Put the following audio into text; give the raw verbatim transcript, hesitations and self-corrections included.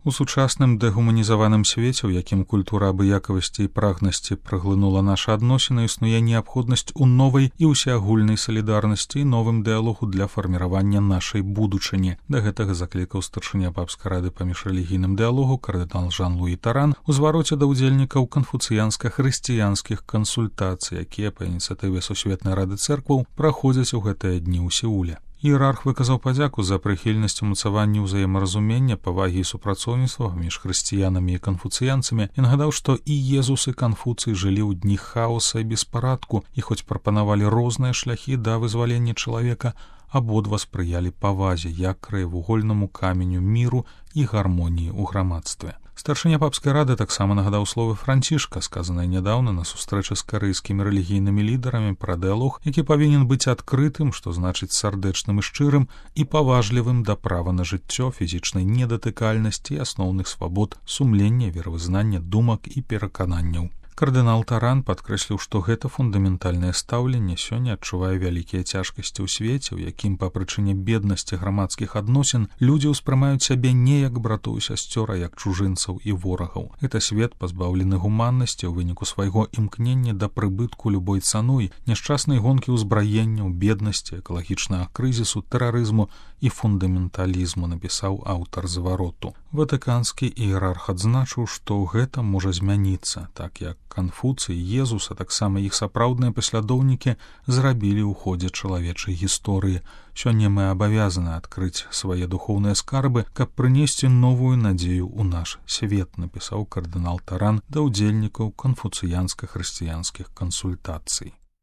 У сучасным дэгуманізаваным свеце, у якім культура абыякавасці і прагнасці праглынула нашы адносіны, існуе неабходнасць у новай і ўсеагульнай салідарнасці і новым дыялогу для фарміравання нашай будучыні. Да гэтага заклікаў старшыня папскай рады па міжрэлігійным дыялогу кардынал Жан-Луі Таран у звароце да ўдзельнікаў канфуцыянска-хрысціянскіх кансультацый, якія па ініцыятыве Сусветнай рады цэркваў праходзяць у гэтыя дні ў Сеуле. Іерарх выказаў падзяку за прыхільнасць умацавання ўзаемаразумення, павагі і супрацоўніцтва паміж хрысціянамі і канфуцыянцамі і нагадаў, што і Езус і Канфуцый жылі ў дні хаоса і беспарадку, і хоць прапанавалі розныя шляхі да вызвалення чалавека, абодва спрыялі павазе як краевугольнаму каменю міру і гармоніі ў грамадстве. Старшыня папскай рады таксама нагадаў словы Францішка, сказаныя нядаўна на сустрэчы з карэйскімі рэлігійнымі лідарамі пра дыялог, які павінен быць адкрытым, што значыць сардэчным і шчырым, і паважлівым да права на жыццё, фізічнай недатыкальнасці і асноўных свабод, сумлення, веравызнання, думак і перакананняў. Кардынал Таран падкрэсліў, што гэта фундаментальнае стаўленне сёння адчувае вялікія цяжкасці ў свеце, у якім па прычыне беднасці грамадскіх адносін людзі ўспрымаюць сябе не як братоў і сясцёр, а як чужынцаў і ворагаў. Гэта свет пазбаўлены гуманнасці ў выніку свайго імкнення да прыбытку любой цаной, няшчаснай гонкі ўзбраенняў, беднасці, экалагічнага крызісу, тэрарызму і фундаменталізму, напісаў аўтар звароту. Ватыканскі іерарх адзначыў, што гэта можа змяніцца, так як Канфуцый, Езус, а таксама іх сапраўдныя паслядоўнікі зрабілі ў ходзе чалавечай гісторыі. Сёння мы абавязаны адкрыць свае духоўныя скарбы, каб прынесці новую надзею ў наш свет, напісаў кардынал Таран да ўдзельнікаў канфуцыянска-хрысціянскіх кансультацый.